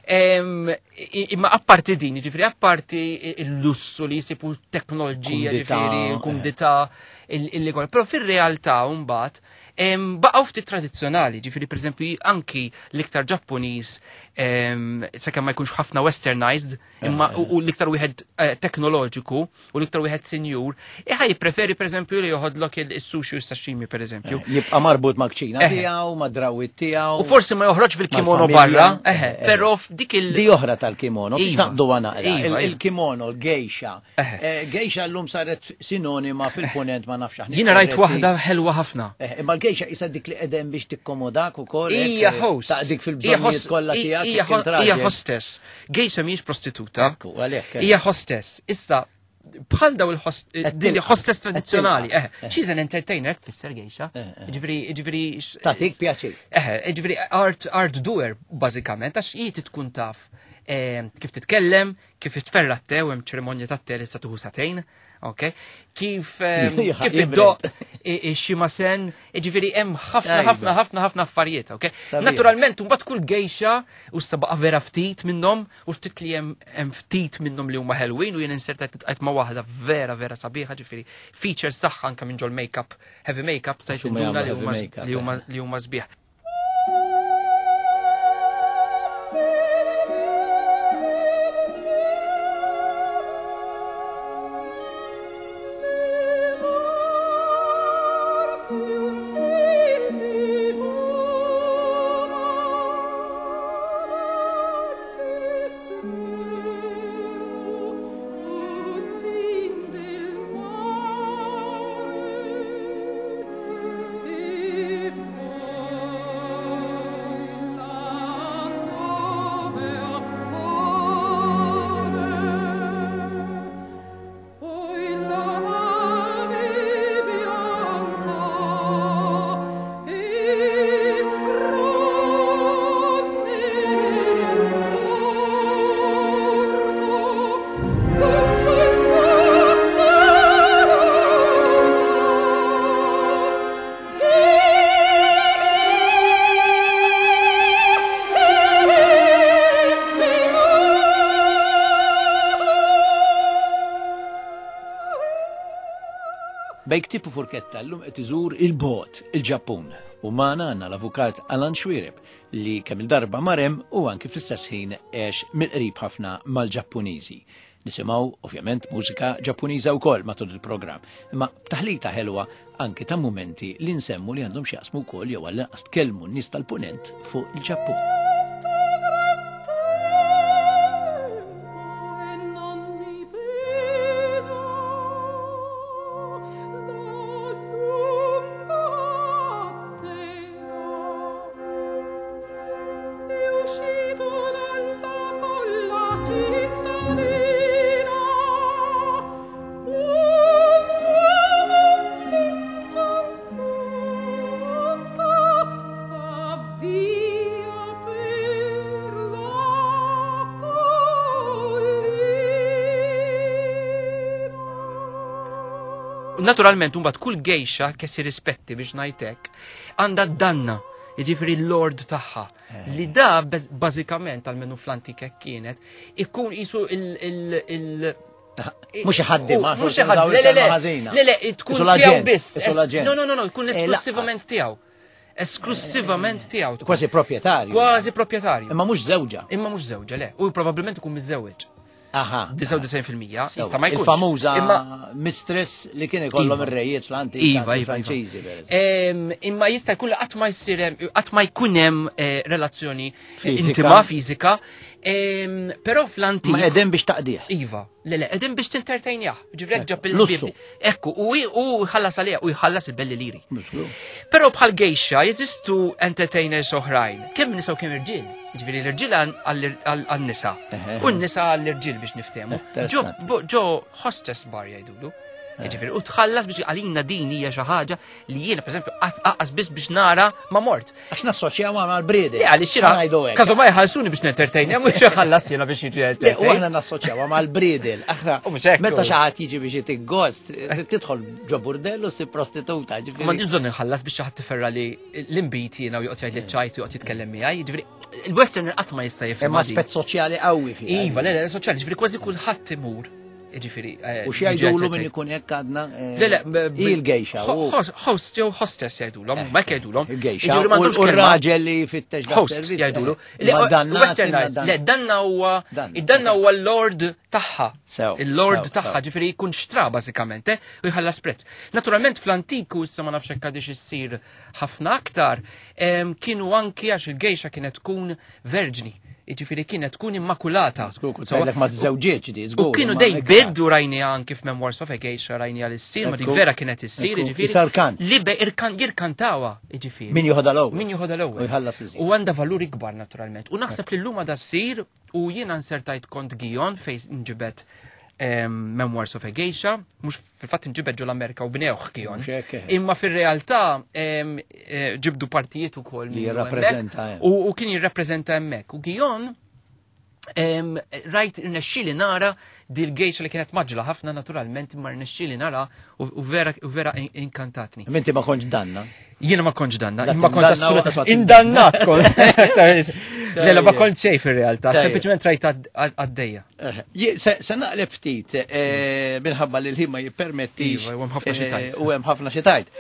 Speaker 4: Em, i- Imma apparti din, ġifieri apparti il-lussu li jisibu teknoloġija,
Speaker 1: Kumdità,
Speaker 4: ġifieri,
Speaker 1: eh.
Speaker 4: kumdità, il-li Però fir-realtà mbagħad em, baqgħu ftit tradizzjonali, ġifieri pereżempju anki l-iktar Ġappuniż em, sakemm ma jkunx ħafna westernized, imma u u l-iktar wieħed eh, teknoloġiku u l-iktar wieħed senjur, iħa jippreferi pereżempju li joħodlok il-sushi u s-sashimi pereżempju.
Speaker 1: Jibqa' marbut mal-kċina
Speaker 4: Eh.
Speaker 1: tiegħu, mad-drawwiet tiegħu.
Speaker 4: U forsi ma joħroġ bil-kimono
Speaker 1: Mal-familja.
Speaker 4: barra, eħe,
Speaker 1: Eh, eh.
Speaker 4: però f'dik il-
Speaker 1: Di oħra tal-kimono, biex
Speaker 4: Iva.
Speaker 1: naqdu naqra.
Speaker 4: Iva,
Speaker 1: Il-
Speaker 4: iva.
Speaker 1: Il-kimono, l-gejxa.
Speaker 4: Eħe.
Speaker 1: Eh, Gejxa llum saret sinonima fil-ponent ma nafx aħna.
Speaker 4: Jiena rajt waħda ħelwa ħafna.
Speaker 1: Eh, Imma l-gejxa isa dik li qegħdem biex tikkomodak ukoll. hekk,
Speaker 4: Hija
Speaker 1: eh,
Speaker 4: host.
Speaker 1: Taqdik
Speaker 4: Hija
Speaker 1: fil-bżonnijiet
Speaker 4: host-
Speaker 1: kollha tiegħek.
Speaker 4: Hija
Speaker 1: jekk int
Speaker 4: hija
Speaker 1: raġel.
Speaker 4: hostess. Gejxa mhijiex prostituta.
Speaker 1: Ekku, għalhekk, eh.
Speaker 4: Hija hostess. Issa bħal daw il-host
Speaker 1: Qed
Speaker 4: din
Speaker 1: tilqa'.
Speaker 4: hostess
Speaker 1: Qed
Speaker 4: tradizzjonali.
Speaker 1: tilqa'.
Speaker 4: Eh, she's an entertainer, tfisser gejxa.
Speaker 1: Eh, eh.
Speaker 4: Ġifieri, ġifieri x-
Speaker 1: Tagħtik pjaċir.
Speaker 4: Eh, ġifieri art art doer bażikament għax hi tkun taf eh, kif titkellem, kif tferra t-te, u hemm ċerimonja tat-te li sa tuħu sagħtejn, ok? Kif eh, kif
Speaker 1: Jibred.
Speaker 4: iddoq xi ġifieri hemm ħafna
Speaker 1: Tajba.
Speaker 4: ħafna ħafna ħafna affarijiet, ok?
Speaker 1: Sabiħ.
Speaker 4: Naturalment, mbagħad kull gejxa u sabaqa vera ftit minnhom u ftit li hemm hemm ftit minnhom li huma ħelwin u jien insertajt nitqajt ma' waħda vera vera sabiħa, ġifieri features tagħha anke minn ġol makeup, heavy makeup stajt
Speaker 1: Għax huma
Speaker 4: induna
Speaker 1: jagħmlu
Speaker 4: li
Speaker 1: heavy
Speaker 4: huma
Speaker 1: makeup,
Speaker 4: li huma
Speaker 1: eh.
Speaker 4: li huma sbieħ.
Speaker 5: Poi la nave bianca entrò nel porto con quel
Speaker 1: Bejn ktieb u furketta llum qed iżur il-bot, il-Ġappun. U magħna għandna l-avukat Alan Xuereb li kemm il-darba mar hemm u anki fl-istess ħin għex mill-qrib ħafna mal-Ġappuniżi. Nisimgħu ovvjament mużika Ġappuniża wkoll matul il-programm, imma b'taħlita ħelwa anki ta' mumenti li nsemmu li għandhom x'jaqsmu wkoll jew għall-inqas tkellmu n-nies tal-punent fuq il-Ġappun.
Speaker 5: E non mi pesa la lunga attesa. E uscito dalla folla cittadina, un uomo in giampata s'avvia per la collina.
Speaker 4: Naturalment, mbagħad kull gejxa che si rispetti biex ngħidlek għandha danna, jiġifieri l-lord tagħha. Li da baż- bażikament almenu fl-antik hekk kienet, ikun qisu il- il- il-
Speaker 1: Mhux iħaddim,
Speaker 4: U- Mhux iħaddim, le, le, le, le, le, tkun tiegħu biss. Es- No, no, no, no, jkun
Speaker 1: Eh,
Speaker 4: esklusivament tiegħu. Esklusivament tiegħu. tkun.
Speaker 1: Kważi proprjetarju.
Speaker 4: Kważi proprjetarju.
Speaker 1: Imma mhux żewġa.
Speaker 4: Imma mhux żewġa, le. U probabbilment ikun miżżewweġ.
Speaker 1: Aha.
Speaker 4: disgħa u disgħin fil-mija, jista' ma jkunx.
Speaker 1: Il-famuża
Speaker 4: Imma
Speaker 1: mistress li kien ikollhom
Speaker 4: Iva.
Speaker 1: ir-rejiet fl-antik
Speaker 4: Iva, iva, iva.
Speaker 1: Franċiżi, per eżempju.
Speaker 4: Em, Imma jista' jkun li qatt ma jsir hemm- qatt ma jkun hemm eh, relazzjoni
Speaker 1: Fiżika.
Speaker 4: intima fiżika. Em, Però fl-antik
Speaker 1: Ma qegħdin biex taqdih.
Speaker 4: Iva, le le, qegħdin biex tintertainjah. Ġifieri hekk ġab
Speaker 1: Lussu.
Speaker 4: il-bib. Ekku, u u jħallas għaliha u jħallas il-belli liri.
Speaker 1: Mhux
Speaker 4: Però bħal gejxa jeżistu entertainers oħrajn. Kemm nisa u kemm irġiel. Ġifieri l-irġiel għal- għal-nisa
Speaker 1: Eħe.
Speaker 4: U n-nisa għall-irġiel biex niftehmu. Ġo
Speaker 1: Interessanti.
Speaker 4: bo- ġo hostess bar jgħidulu. Jiġifieri, u tħallas biex għalina din hija xi ħaġa li jiena pereżempju aqqas biss biex nara ma mort.
Speaker 1: Għax nassoċjaw mal-briedel.
Speaker 4: Le għaliex jiena każu ma jħallsuni biex nentertain, mhux iħallas jiena biex jiġi
Speaker 1: entertain. U aħna nassoċjaw mal-briedel. Aħna meta xi ħadd jiġi biex jitik gost, tidħol ġo burdellu si prostituta.
Speaker 4: M'għandix bżonn inħallas biex xi ħadd tiferra li l-inbid jiena u joqgħod jgħid li ċajt u joqgħod jitkellem miegħi. Jiġifieri il-Western qatt ma jista' jifhem.
Speaker 1: Hemm aspett soċjali qawwi fih.
Speaker 4: Iva, le, le, soċjali, ġifieri kważi kulħadd imur. Ġifieri.
Speaker 1: U x'jgħidulu min ikun hekk għadna?
Speaker 4: Le, le,
Speaker 1: il-gejxa.
Speaker 4: Host jew hostess jgħidulhom, ma hekk jgħidulhom.
Speaker 1: Il-gejxa. U r-raġel li jfittex
Speaker 4: host jgħidulu. Westernized. Le, danna huwa id-danna huwa l-lord tagħha. Il-lord tagħha, ġifieri jkun xtra bażikament, u jħallas prezz. Naturalment fl-antiku issa ma nafx hekk għadix issir ħafna aktar, kienu anki għax il-gejxa kienet tkun verġni. Jiġifieri kienet tkun immakulata.
Speaker 1: Ma tiżżewġietx di, żgur.
Speaker 4: U kienu dej biddu rajni anki f'Memoirs of a Geisha rajni għal issir, ma dik vera kienet issir, jiġifieri. Li be jirkantawa, jiġifieri.
Speaker 1: Min joħodha l-ewwel.
Speaker 4: Min joħodha l-ewwel.
Speaker 1: U jħallas iżjed.
Speaker 4: U għandha valur ikbar naturalment. U naħseb li llum għadha ssir u jiena nsertajt kont Gion fejn nġibet Memoirs of a Geisha, mhux fil-fatt inġibed ġol Amerika u bnewh Gion. Imma fir-realtà ġibdu partijiet ukoll
Speaker 1: li jirrappreżenta.
Speaker 4: U kien jirrappreżenta hemmhekk. U Gion rajt irnexxieli nara dil-gejxa li kienet maġla ħafna naturalment, imma rnexxieli nara u vera u vera inkantatni.
Speaker 1: Inti ma kontx danna?
Speaker 4: Jiena ma kontx danna, imma kont assolutament indannat kont. Le, le, ma kont xejn fir-realtà, sempliċement rajt għaddejja.
Speaker 1: Se naqleb ftit minħabba li l-ħin ma jippermettix.
Speaker 4: Iva, u hemm ħafna xi tajt.
Speaker 1: U hemm ħafna xi tajt.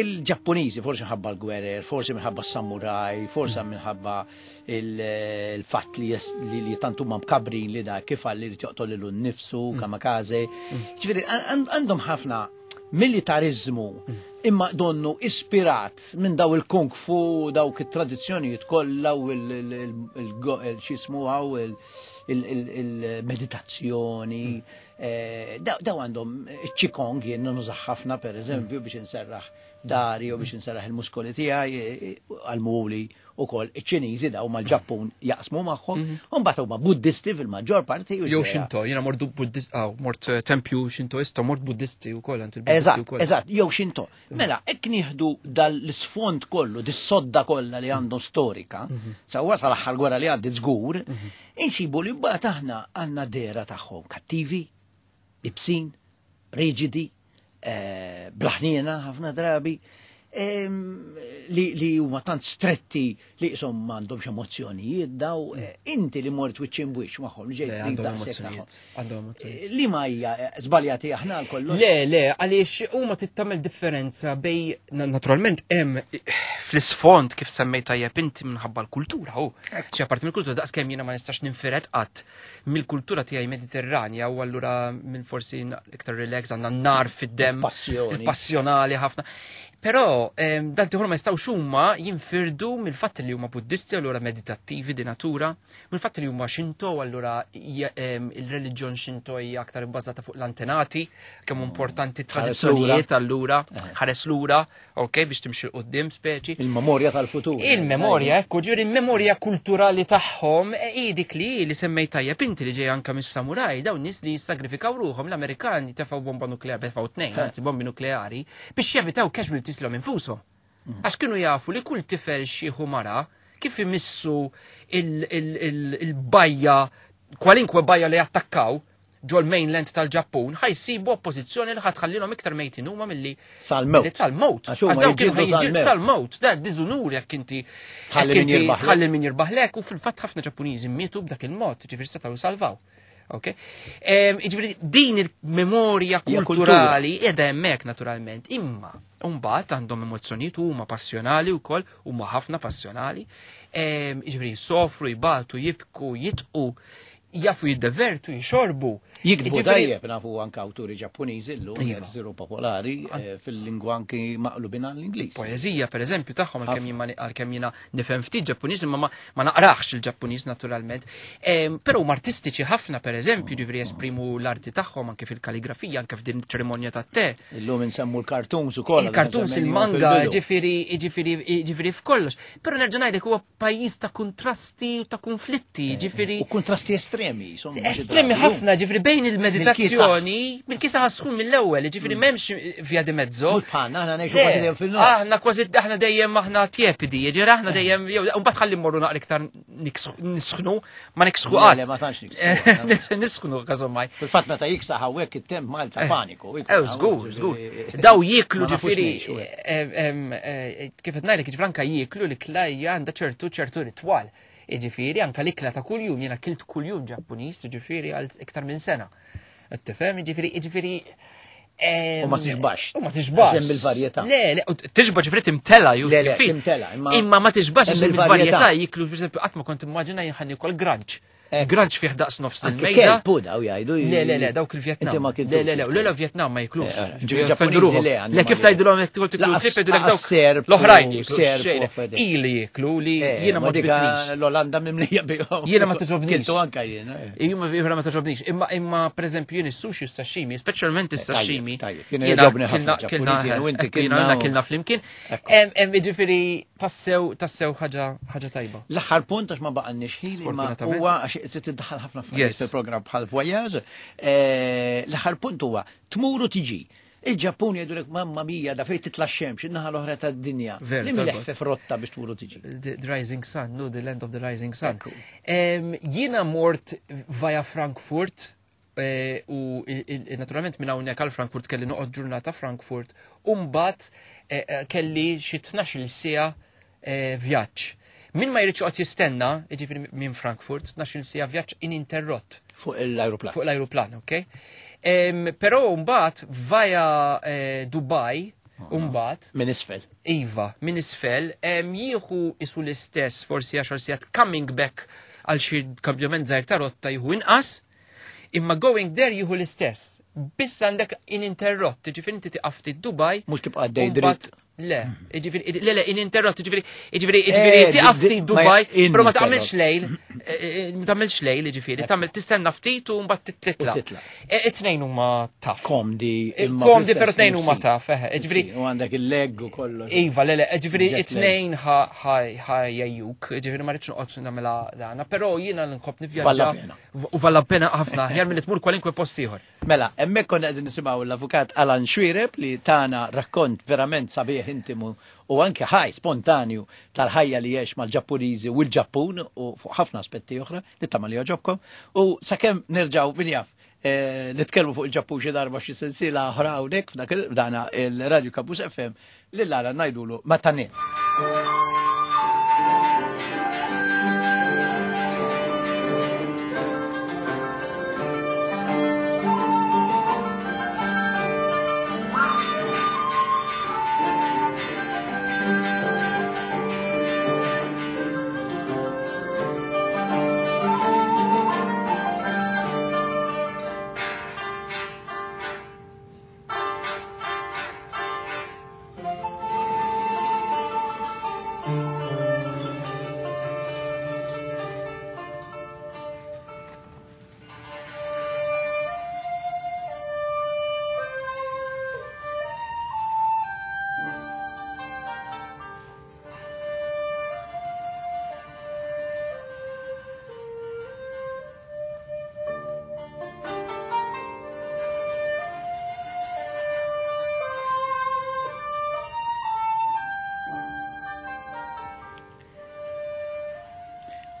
Speaker 1: Il-Ġappuniżi forsi minħabba l-gwerer, forsi minħabba s-samuraj, forsi minħabba il-fatt li li tant huma mkabrin li da kif għalli li joqtol lilu nnifsu, kamikaze. Ġifieri għandhom ħafna militarizmu imma donnu ispirat minn daw il-kung fu, dawk it-tradizzjonijiet kollha u il-xismu għaw il-meditazzjoni. Daw għandhom qigong jien nużah ħafna per eżempju biex inserraħ dari u biex inserraħ il-muskoli tiegħi għal-muli u koll iċ-Ċiniżi daw mal-Ġappun jaqsmu magħhom, u mbagħad huma Buddisti fil-maġġor parti.
Speaker 4: Jew Shinto, jiena mort Buddist, mort tempju Shintoista, mort Buddisti wkoll għand il-Buddisti
Speaker 1: Eżatt,
Speaker 4: wkoll.
Speaker 1: eżatt, jew Shinto. Mela, hekk nieħdu dal-isfond kollu, dis-sodda kollha li għandhom storika, sewwa sal-aħħar gwerra li għaddiet żgur, insibu li mbagħad aħna għandna dehra tagħhom kattivi, ibsin, riġidi, bla ħniena ħafna drabi, li li huma tant stretti li qishom m'għandhomx emozzjonijiet daw, inti li mort wiċċ imbwiċċ magħhom li ġejt
Speaker 4: Le, għandhom
Speaker 1: daqshekk
Speaker 4: emozzjonijiet.
Speaker 1: tagħhom.
Speaker 4: Għandhom emozzjonijiet.
Speaker 1: Li ma hija żbaljati aħna għal kollox?
Speaker 4: Le, le, għaliex huma tittamel differenza bej, na- naturalment hemm fl-isfond kif semmejt tajjeb inti minħabba l-kultura, hu. Xi apparti mill-kultura daqs kemm jiena ma nistax ninfired qatt mill-kultura tiegħi Mediterranja u allura minn forsi iktar relax għandna n-nar fid-demm,
Speaker 1: Il-passjoni.
Speaker 4: il-passjonali ħafna. Però ehm, dan tiħor ma jistgħux huma jinfirdu mill-fatt li huma Buddisti allura meditattivi di natura, mill-fatt li huma Shinto allura hija, ehm, il-reliġjon Shinto hija aktar ibbażata fuq l-antenati, kemm importanti tradizzjonijiet allura, ħares lura, ok, biex timxi 'l quddiem speċi.
Speaker 1: Il-memorja tal-futur.
Speaker 4: Il-memorja, ekku, ġifieri il-memorja kulturali tagħhom e, hi dik li li semmejt tajjeb inti li ġej anka mis-samuraj, dawn nies li jissagrifikaw ruħhom l-Amerikani tefgħu bomba nukleari, tefgħu tnejn, anzi bombi nukleari, biex jevitaw casualties lhom infushom. Għax kienu jafu li kull tifel xieħu mara kif imissu il-bajja, kwalinkwe bajja li attakkaw ġol mainland tal-Ġappun, ħa jsibu oppożizzjoni li ħa tħallilhom iktar mejtin huma milli
Speaker 1: Sal-mewt.
Speaker 4: milli Sal-mewt.
Speaker 1: Għax huma
Speaker 4: Għax dawk kienu
Speaker 1: jiġġieldu
Speaker 4: ħa jiġġieldu
Speaker 1: sal-mewt.
Speaker 4: sal-mewt. Da diżunur jekk inti
Speaker 1: Tħalli
Speaker 4: jekk
Speaker 1: min
Speaker 4: inti
Speaker 1: jirbaħlek.
Speaker 4: tħalli min jirbaħlek u fil-fatt ħafna Ġappuniżi mietu b'dak il-mod, ġifieri setgħu salvaw. Ok? Em, Ġifieri din il-memorja
Speaker 1: Hija
Speaker 4: kulturali qiegħda hemmhekk naturalment. Imma mbagħad għandhom emozzjonijiet huma passjonali wkoll, huma ħafna passjonali. Em, Ġifieri jsofru, jibatu, jibku, jitqu, jafu jiddevertu, jixorbu.
Speaker 1: Jikdbu
Speaker 4: Ġifieri-
Speaker 1: tajjeb nafu anka awturi Ġappuniżi llum
Speaker 4: Iva.
Speaker 1: qed isiru popolari eh, fil-lingwa anki maqlubin għall-Ingliż.
Speaker 4: Poeżija, per eżempju, tagħhom għalkemm jien ma- għalkemm jiena nifhem ftit Ġappuniż, imma ma, ma naqrax il-Ġappuniż naturalment. Em, Però huma artistiċi ħafna, per eżempju, ġifieri jesprimu l-arti tagħhom anke fil-kaligrafija, anke f'din ċerimonja tat-te.
Speaker 1: Illum insemmu l-cartoons ukoll.
Speaker 4: Il-cartoons, il-manga, ġifieri, ġifieri, ġifieri f'kollox. Però nerġa' ngħidlek huwa pajjiż ta' kontrasti u ta' konflitti, ġifieri
Speaker 1: U kontrasti estremi, insomma. xi
Speaker 4: Estremi
Speaker 1: drabi.
Speaker 4: ħafna, ġifieri bejn il-meditazzjoni, mill-kisa ħasħun mill-ewwel, ġifieri m'hemmx via di mezzo.
Speaker 1: Mhux bħalna, aħna ngħixu
Speaker 4: Le,
Speaker 1: kważi dejjem fil-nofs.
Speaker 4: Aħna kważi aħna dejjem aħna tiepidi, ġifieri aħna dejjem jew mbagħad ħalli mmorru naqra iktar niksħu- nisħnu, ma niksħu
Speaker 1: Le,
Speaker 4: qatt.
Speaker 1: le, ma tantx niksħu.
Speaker 4: Nisħnu każommaj.
Speaker 1: Fil-fatt meta jiksaħ hawnhekk it-temp Malta paniku.
Speaker 4: Ew, żgur, żgur. Daw jieklu
Speaker 1: Ma nafux
Speaker 4: ġifieri,
Speaker 1: ngħixu, eh.
Speaker 4: em, em, eh, kif qed ngħidlek, ġifieri anka jieklu l-ikla hija għandha ċertu ċertu ritwal. Ġifieri anka l-ikla ta' kuljum, jiena kilt kuljum Ġappuniż, ġifieri għal iktar minn sena. Qed tifhem, ġifieri, ġifieri em,
Speaker 1: U ma tixbax.
Speaker 4: U ma tixbax.
Speaker 1: Għax hemm il-varjetà.
Speaker 4: Le, le, u tixba ġifieri timtela ju.
Speaker 1: Le, le,
Speaker 4: fi-
Speaker 1: timtela, imma-
Speaker 4: Imma ma tixbax għax
Speaker 1: Hemm
Speaker 4: hemm
Speaker 1: il-varjetà.
Speaker 4: il-varjetà jiklu, per eżempju, qatt ma kont immaġina jien ħa niekol granċ.
Speaker 1: Ekku.
Speaker 4: Granċ fih daqs nofs
Speaker 1: Anke
Speaker 4: il-mejda.
Speaker 1: kelb u daw jgħidu.
Speaker 4: Le, le, le, dawk il-Vietnam.
Speaker 1: Inti ma kiltux.
Speaker 4: Le, le, le, le, le, Vietnam ma jiklux.
Speaker 1: Eh, eh,
Speaker 4: Ġifieri
Speaker 1: Ġappuniżi
Speaker 4: offendu ruħhom.
Speaker 1: le, għandhom
Speaker 4: Le, kif
Speaker 1: għalihom.
Speaker 4: tgħidilhom jekk tiklu tiklu
Speaker 1: Laqas-
Speaker 4: trip, jgħidulek
Speaker 1: laqas
Speaker 4: dawk
Speaker 1: serp u
Speaker 4: l-oħrajn jiklu
Speaker 1: serp u
Speaker 4: xejn.
Speaker 1: affarijiet.
Speaker 4: Ili jiklu li
Speaker 1: Eh,
Speaker 4: jiena ma
Speaker 1: ma dika
Speaker 4: ġbitnix.
Speaker 1: l-Olanda mimlija bihom.
Speaker 4: Jiena ma togħġobnix.
Speaker 1: Kiltu anka jiena. eh.
Speaker 4: Jiena jiena ma togħġobnix. Imma imma pereżempju jien is-sushi u s-sashimi, speċjalment is-sashimi.
Speaker 1: Tajjeb, tajjeb. Kienu
Speaker 4: Jiena
Speaker 1: jogħġobni ħafna
Speaker 4: kilna- kilna
Speaker 1: Ġappuniżi, jien u inti
Speaker 4: eh, kienna
Speaker 1: kilna u-
Speaker 4: kilna flimkien.
Speaker 1: Ekku.
Speaker 4: Em, em, Jiġifieri tassew tassew ħaġa ħaġa tajba.
Speaker 1: L-aħħar punt għax ma baqgħalniex ħin imma
Speaker 4: Sfortunatament.
Speaker 1: huwa għax qed tiddaħħal ħafna affarijiet
Speaker 4: Yes.
Speaker 1: fil-programm bħal voyage. Eh, L-aħħar punt huwa tmur u tiġi. Il-Ġappun jgħidulek mamma mia da fejn titla' x-xemx, in-naħa l-oħra tad-dinja.
Speaker 4: Veru,
Speaker 1: Li
Speaker 4: talbot.
Speaker 1: mill-eħfef rotta biex tmur u tiġi.
Speaker 4: The, the Rising Sun, no, the Land of the Rising Sun.
Speaker 1: Ekku.
Speaker 4: Em, Jiena mort via Frankfurt eh, u il- il- naturalment minn hawnhekk għal Frankfurt kelli noqgħod ġurnata Frankfurt u mbagħad eh, eh, kelli xi tnax-il siegħa eh, vjaġġ. Min ma jridx joqgħod jistenna, jiġifieri minn Frankfurt, tnax-il siegħa vjaġġ ininterrott
Speaker 1: Fuq l-aeroplan.
Speaker 4: fuq l-aeroplan, ok? Em, Però mbagħad via eh, Dubai Umbagħad
Speaker 1: Minn isfel.
Speaker 4: Iva, minn isfel, jieħu isu l-istess forsi għaxar sigħat coming back għal xi kambjament żgħir ta' rotta jieħu inqas, imma going there jieħu l-istess. Biss għandek ininterrott, ġifieri inti tiqaf ftit Dubai.
Speaker 1: Mhux tibqa' għaddej dritt.
Speaker 4: Le, ġifieri, le, le, ininterrott, ġifieri, ġifieri, ġifieri, tiqaf ftit Dubai, però ma tagħmilx lejl, ma tagħmilx lejl, ġifieri, tagħmel tistenna ftit u mbagħad titla'. It-tnejn huma taf.
Speaker 1: Komdi,
Speaker 4: komdi, però tnejn huma taf, eħe, ġifieri.
Speaker 1: U għandek il-leg u kollox.
Speaker 4: Iva, le, le, ġifieri, it-tnejn ħajjuk, ġifieri ma rridx noqgħod nagħmilha dana, però jiena nħobb nivvjaġġa. U valla pena ħafna, aħjar milli tmur kwalinkwe post ieħor.
Speaker 1: Mela, hemmhekk konna qegħdin nisimgħu l-avukat Alan Xuereb li tana rakkont verament sabiħ intimu u anke ħaj spontanju tal-ħajja li jgħix mal-Ġappuniżi u l-Ġappun u fuq ħafna aspetti oħra li tama li jogħġobkom. U sakemm nerġgħu min jaf nitkellmu fuq il-Ġappun xi darba xi sensiela oħra hawnhekk f'dak dana il-Radio Campus F M lil Alan ngħidulu ma tanin.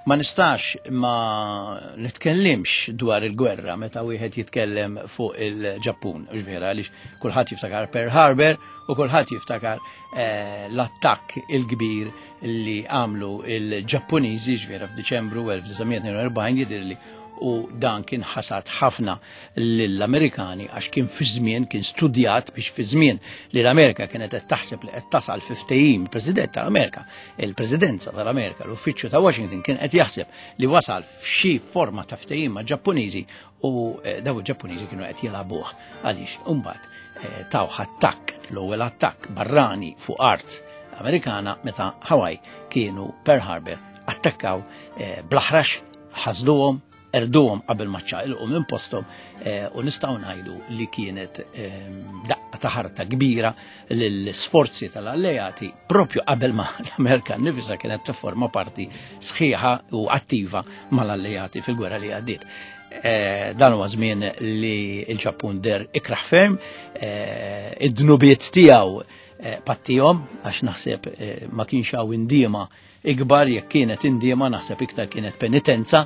Speaker 1: Ma nistax ma nitkellimx dwar il-gwerra meta wieħed jitkellem fuq il-Ġappun, vera għaliex kulħadd jiftakar Pearl Harbor u kulħadd jiftakar l-attakk il-kbir li għamlu il-Ġappuniżi ġvera f'Diċembru elf disa' mija tnejn u erbgħin jidhirli, u dan kien ħasad ħafna lill-Amerikani għax kien fi żmien, kien studjat biex fi żmien li l-Amerika kienet qed taħseb li qed tasal fi ftehim, il-President tal-Amerika, il-Presidenza tal-Amerika, l-Uffiċċju ta' Washington kien qed jaħseb li wasal f'xi forma ta' ftehim ma' Ġappuniżi u daw il-Ġappuniżi kienu qed jilagħbuh għaliex imbagħad taw attakk, l-ewwel attakk barrani fuq art Amerikana meta Hawaii kienu Pearl Harbor attakkaw bl-aħrax, ħasduhom, erduhom qabel ma ċaqilqu minn posthom, u nistgħu ngħidu li kienet daqqa ta' ħarta kbira lill-sforzi tal-alleati propju qabel ma l-Amerika nnifisha kienet tifforma parti sħiħa u attiva mal-alleati fil-gwerra li għaddiet. Dan huwa żmien li l-Ġappun der ikraħ ferm, id-dnubiet tiegħu pattihom għax naħseb ma kienx hawn indiema ikbar, jekk kienet indiema naħseb iktar kienet penitenza,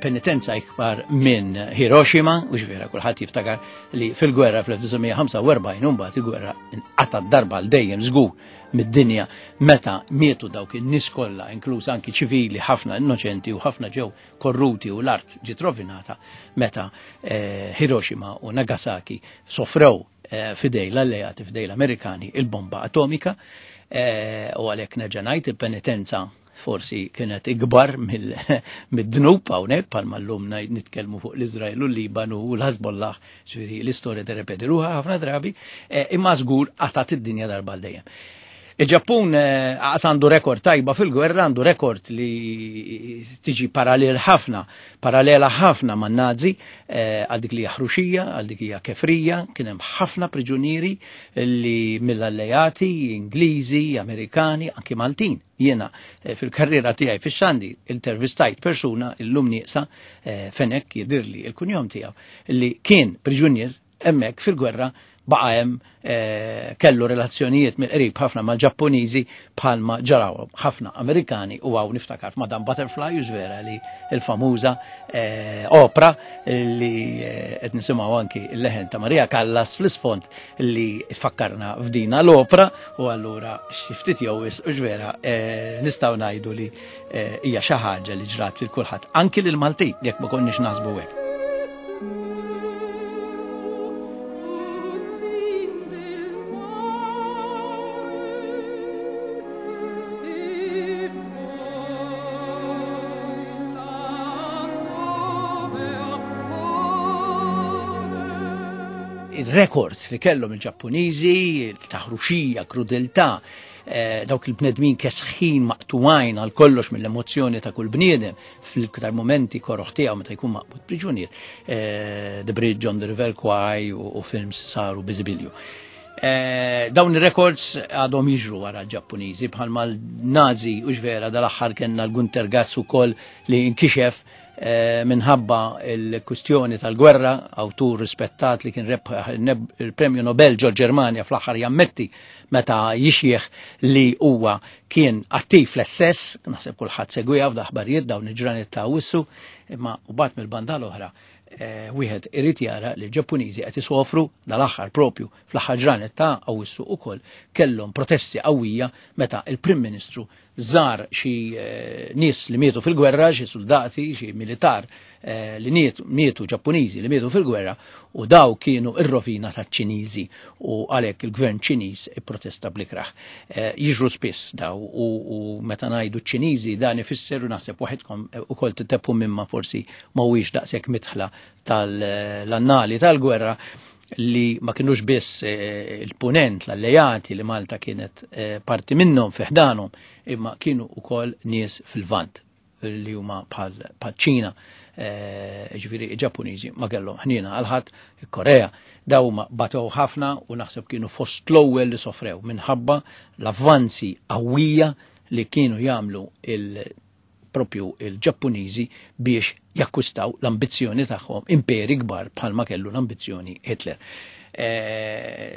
Speaker 1: penitenza ikbar minn Hiroshima, u ġvera kulħadd jiftakar li fil-gwerra fl-elf disa' mija ħamsa u erbgħin imbagħad il-gwerra inqatgħet darba għal dejjem żgur mid-dinja meta mietu dawk in-nies kollha, inkluż anki ċivili ħafna innoċenti u ħafna ġew korruti u l-art ġiet rovinata meta Hiroshima u Nagasaki sofrew fidej l-alleati, fidej l-Amerikani, il-bomba atomika. U għalhekk nerġa' ngħid il-penitenza forsi kienet ikbar mid-dnub hawnhekk bħalma llum ngħid nitkellmu fuq l-Iżrael u l-Libanu u l-Ħażbollah, ġifieri l-istorja tirrepeti ruħha ħafna drabi, imma żgur qatat id-dinja darba għal dejjem. Il-Ġappun għas għandu rekord tajba fil-gwerra, għandu rekord li tiġi parallel ħafna, parallela ħafna man nazi, għal dik li hija ħruxija, għal dik hija kefrija, kien hemm ħafna priġunieri li mill-alleati, Ingliżi, Amerikani, anki Maltin. Jiena fil-karriera tiegħi fix-xandi intervistajt persuna illum nieqsa Fenek jidhirli il-kunjom tiegħu li kien priġunier hemmhekk fil-gwerra, baqa' hemm kellu relazzjonijiet mill-qrib ħafna mal-Ġappuniżi bħalma ġaraw ħafna Amerikani, u hawn niftakar f'Madame Butterfly, u vera li l-famuża opera li qed nisimgħu anki l-leħen ta' Maria Callas fl-isfond li tfakkarna f'dina l-opera, u allura xi ftit jew wisq u vera nistgħu ngħidu li hija xi ħaġa li ġrat lil kulħadd, anki lil Maltin jekk ma konniex naħsbu hekk. il-rekord li kellhom il-Ġappuniżi, il-taħruxija, krudeltà, dawk il-bnedmin kesħin maqtuwajn għal kollox mill-emozzjoni ta' kull bniedem fil-iktar momenti koroħ tiegħu meta jkun maqbud priġunier. The Bridge on the River Kwai u films saru biżibilju. Dawn ir-records għadhom jiġru wara l-Ġappuniżi bħalma l-Nazi u ġvera dal-aħħar kellna l-Gunter Gass ukoll li inkixef minħabba il-kustjoni tal-gwerra, awtur rispettat li kien rebħ il-Premju Nobel ġol Ġermanja fl-aħħar jammetti meta jixjieħ li huwa kien attiv fl-S S, naħseb kulħadd segwiha f'daħbarijiet dawn il-ġranet ta' Awwissu, imma u bat mill-banda l-oħra wieħed irid jara li l-Ġappuniżi qed isofru dal-aħħar propju fl-aħħar ġranet ta' Awwissu ukoll kellhom protesti qawwija meta il-Prim Ministru żar xi nies li mietu fil-gwerra, xi soldati, xi militar li mietu Ġappuniżi li mietu fil-gwerra, u daw kienu ir-rovina taċ-Ċiniżi u għalhekk il-gvern Ċiniż ipprotesta blikraħ. Jiġru spiss daw u meta ngħidu ċ-Ċiniżi dan ifisser u naħseb waħedkom ukoll titeppu mimma forsi mhuwiex daqshekk mitħla tal-annali tal-gwerra li ma kienux biss il-punent, l-allejati li Malta kienet parti minnhom fi ħdanhom, imma kienu ukoll nies fil-Vant li huma bħal Ċina, ġifieri Ġappuniżi ma kellhom ħniena għal ħadd, il-Korea, daw huma batew ħafna u naħseb kienu fost l-ewwel li sofrew minħabba l-avvanzi qawwija li kienu jagħmlu il propju il-Ġappuniżi biex jakkwistaw l-ambizzjoni tagħhom imperi kbar bħalma kellu l-ambizzjoni Hitler.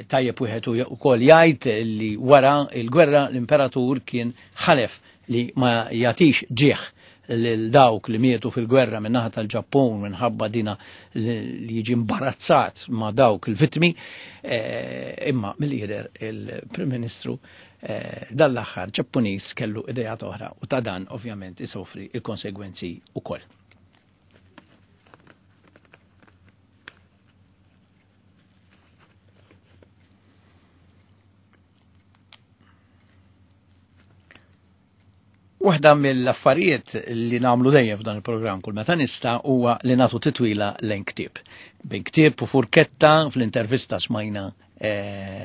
Speaker 1: Tajjeb wieħed ukoll jgħid li wara l-gwerra l-imperatur kien ħalef li ma jagħtix ġieħ lil dawk li mietu fil-gwerra minn naħa tal-Ġappun minħabba dina li jiġi imbarazzat ma' dawk il-vittmi, imma mill-jidher il-Prim Ministru dal-aħħar Ġappuniż kellu idejat oħra u ta' dan ovvjament isofri il-konsegwenzi ukoll. Waħda mill-affarijiet li nagħmlu dejjem f'dan il-programm kull meta nista' huwa li nagħtu titwila lejn ktieb. Bejn ktieb u furketta fl-intervista smajna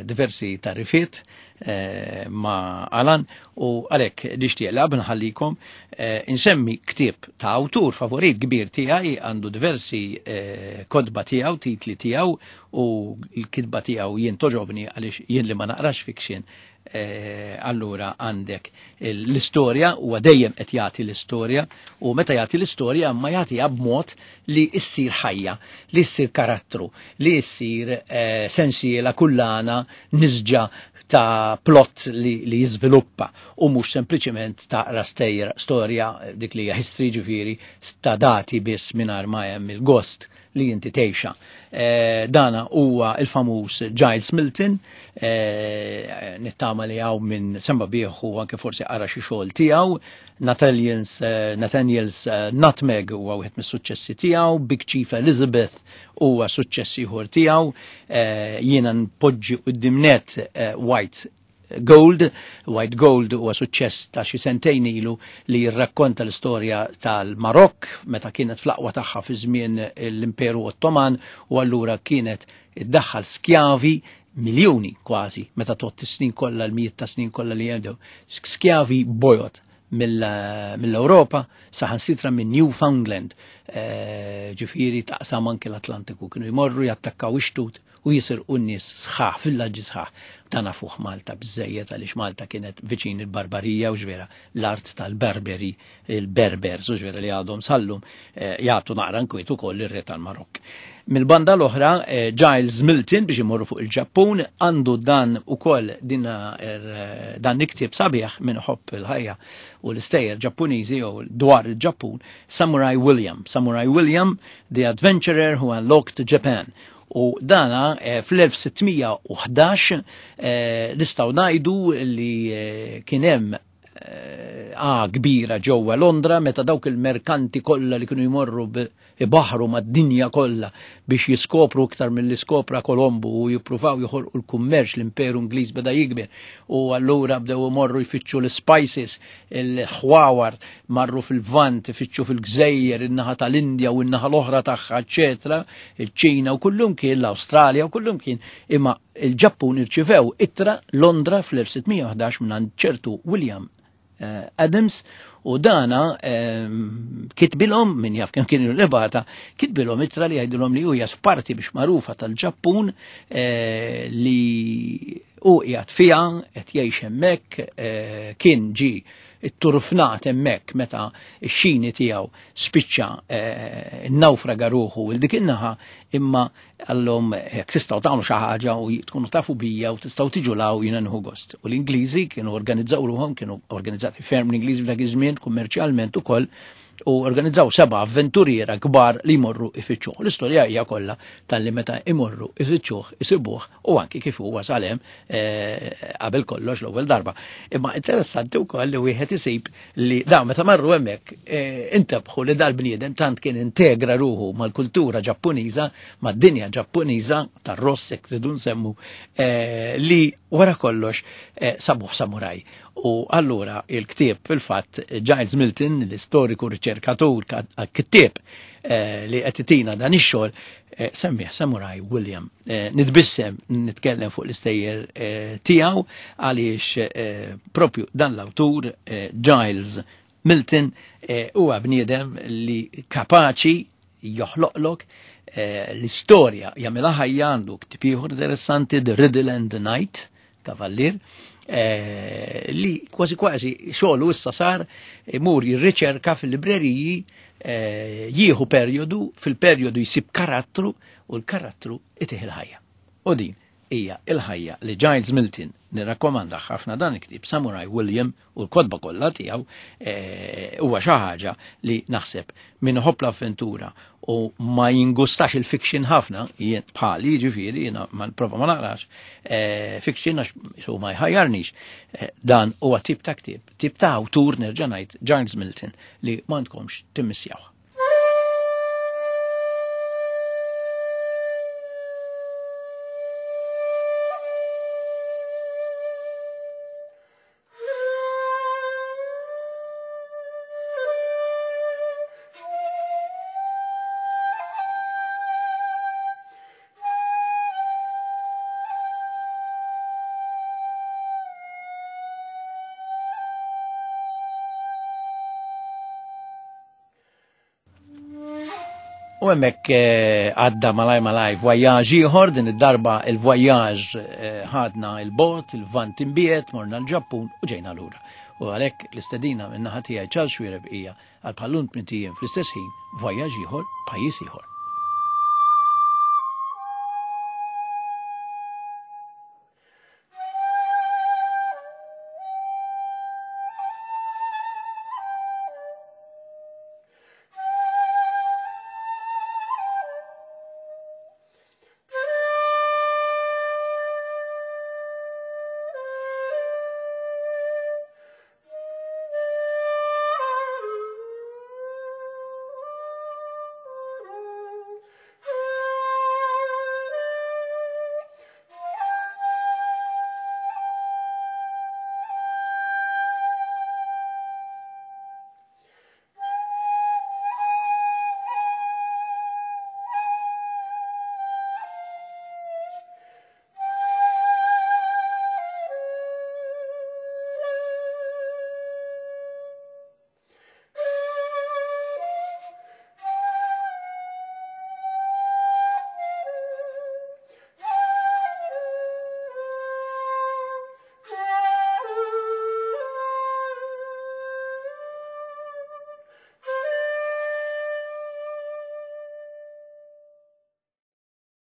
Speaker 1: diversi tarifiet ma' Alan u għalhekk nixtieq laqb nħallikom insemmi ktieb ta' awtur favorit kbir tiegħi, għandu diversi kotba tiegħu, titli tiegħu, u l-kitba tiegħu jien toġobni għaliex jien li ma naqrax fiction. Allura għandek l-istorja, huwa dejjem qed jagħti l-istorja, u meta jagħti l-istorja ma jagħtiha b'mod li ssir ħajja, li ssir karattru, li ssir sensiela kullana nisġa ta' plot li, li jiżviluppa u mhux sempliċement taqra storja dik li hija history, ġifieri ta' dati biss mingħajr ma hemm il-gost li inti tgħixha. Dana huwa il-famuż Giles Milton, nittama li hawn minn semba bih u anke forsi qara xi xogħol tiegħu. Nathaniel's, Nathaniel's Nutmeg huwa wieħed mis-suċċessi tiegħu, Big Chief Elizabeth huwa suċċess ieħor tiegħu, jiena npoġġi quddiem net White Gold. White Gold huwa suċċess ta' xi sentejn ilu li jirrakkonta l-istorja tal-Marokk meta kienet fl-aqwa tagħha fi żmien l-Imperu Ottoman, u allura kienet iddaħħal skjavi miljuni kważi meta tot is-snin kollha, l-mijiet ta' snin kollha li jgħidu skjavi bojod mill-Ewropa, saħansitra minn Newfoundland, ġifieri taqsam anke l-Atlantiku, kienu jmorru jattakkaw ix-xtut u jisirqu n-nies sħaħ, villaġġi sħaħ. Dan nafuh Malta biżejjed għaliex Malta kienet viċin il-Barbarija u ġvera l-art tal-Berberi, il-Berbers u ġvera li għadhom sallum jagħtu naqra nkwiet ukoll ir-re tal-Marokk. Mill-banda l-oħra, Giles Milton biex imorru fuq il-Ġappun għandu dan ukoll dina dan iktib sabiħ minn ħobb il-ħajja u l-istejjer Ġappuniżi jew dwar il-Ġappun, Samurai William. Samurai William, The Adventurer Who Unlocked Japan. U dana fl-elf sittmija u ħdax nistgħu ngħidu li kien hemm a kbira ġewwa Londra meta dawk il-merkanti kollha li kienu jmorru ibaħru mad-dinja kollha biex jiskopru iktar milli skopra Kolombu u jippruvaw joħolqu l-kummerċ, l-Imperu Ingliż beda jikber u allura bdew imorru jfittxu l-spices, il-ħwawar, marru fil-Lvant, ifittxu fil-Gżejjer, in-naħa tal-Indja u n-naħa l-oħra tagħha, eċetera, il-Ċina u kullum kien, l-Awstralja u kullum kien, imma il-Ġappun irċivew ittra Londra fl-elf sitt mija u ħdax minn ċertu William Adams u dana kitbilhom, min jaf kemm kienu l-ebata, kitbilhom ittra li jgħidilhom li hu jas f'parti biex magħrufa tal-Ġappun li hu qiegħed fiha, qed jgħix hemmhekk, kien ġi it-turfnat hemmhekk meta x-xini tiegħu spiċċa nawfraga ruħu il dik in-naħa, imma għallhom jekk tistgħu tagħmlu xi ħaġa u tkunu tafu bija u tistgħu tiġu law jiena nieħu gost. U l-Ingliżi kienu organizzaw ruħhom, kienu organizzati ferm l-Ingliżi f'dak iż-żmien kummerċjalment ukoll, u organizzaw seba' avventuriera kbar li jmorru ifittxuh. L-istorja hija kollha tal-li meta imorru ifittxuh, isibuh u anki kif huwa wasal hemm, eh, qabel kollox l-ewwel darba. Imma interessanti wkoll li wieħed isib li dawn meta marru hemmhekk, eh, intebħu li dal-bniedem tant kien integra ruħu mal-kultura Ġappuniża, mad-dinja Ġappuniża tar-ross jekk tridu nsemmu, eh, li wara kollox, eh, sabuh samuraj. U allura il-ktieb fil-fatt Giles Milton, l-istoriku riċerkatur kittieb, eh, li qed itina dan ix-xogħol, eh, semmih Samurai William. Eh, nitbissem nitkellem fuq l-istejjer, eh, tiegħu għaliex, eh, propju dan l-awtur, eh, Giles Milton, eh, huwa bniedem li kapaċi joħloqlok, eh, l-istorja, jagħmilha ħajja, għandu ktieb ieħor interessanti, The Riddle and the Knight, Kavallier, eh, li kważi kważi xogħlu issa sar imur jirriċerka fil-libreriji, eh, jieħu perjodu, fil-perjodu jsib karattru u l-karattru itih il-ħajja. U din hija il-ħajja li Giles Milton nirrakkomanda ħafna dan il-ktieb Samurai William u l-kotba kollha tiegħu, eh, huwa xi ħaġa li naħseb min iħobb l-avventura u ma jingustax il-fiction ħafna, jien bħali ġifieri, jiena ma nprova ma naqrax, eh, fiction għax su ma jħajjarnix. Eh, dan huwa tip ta' ktieb, tip ta' awtur nerġa' ngħid Giles Milton li m'għandkomx timmissjaw. U hemmhekk, eh, għadda malaj malaj voyage ieħor, din id-darba il-voyage, eh, ħadna il-bot, il-vant imbiet, morna l-Ġappun u ġejna lura. U għalhekk l-istedina minn naħa tiegħi Charles Xuereb hija għal bħallum tmint ijiem fl-istess ħin voyage ieħor, pajjiż ieħor.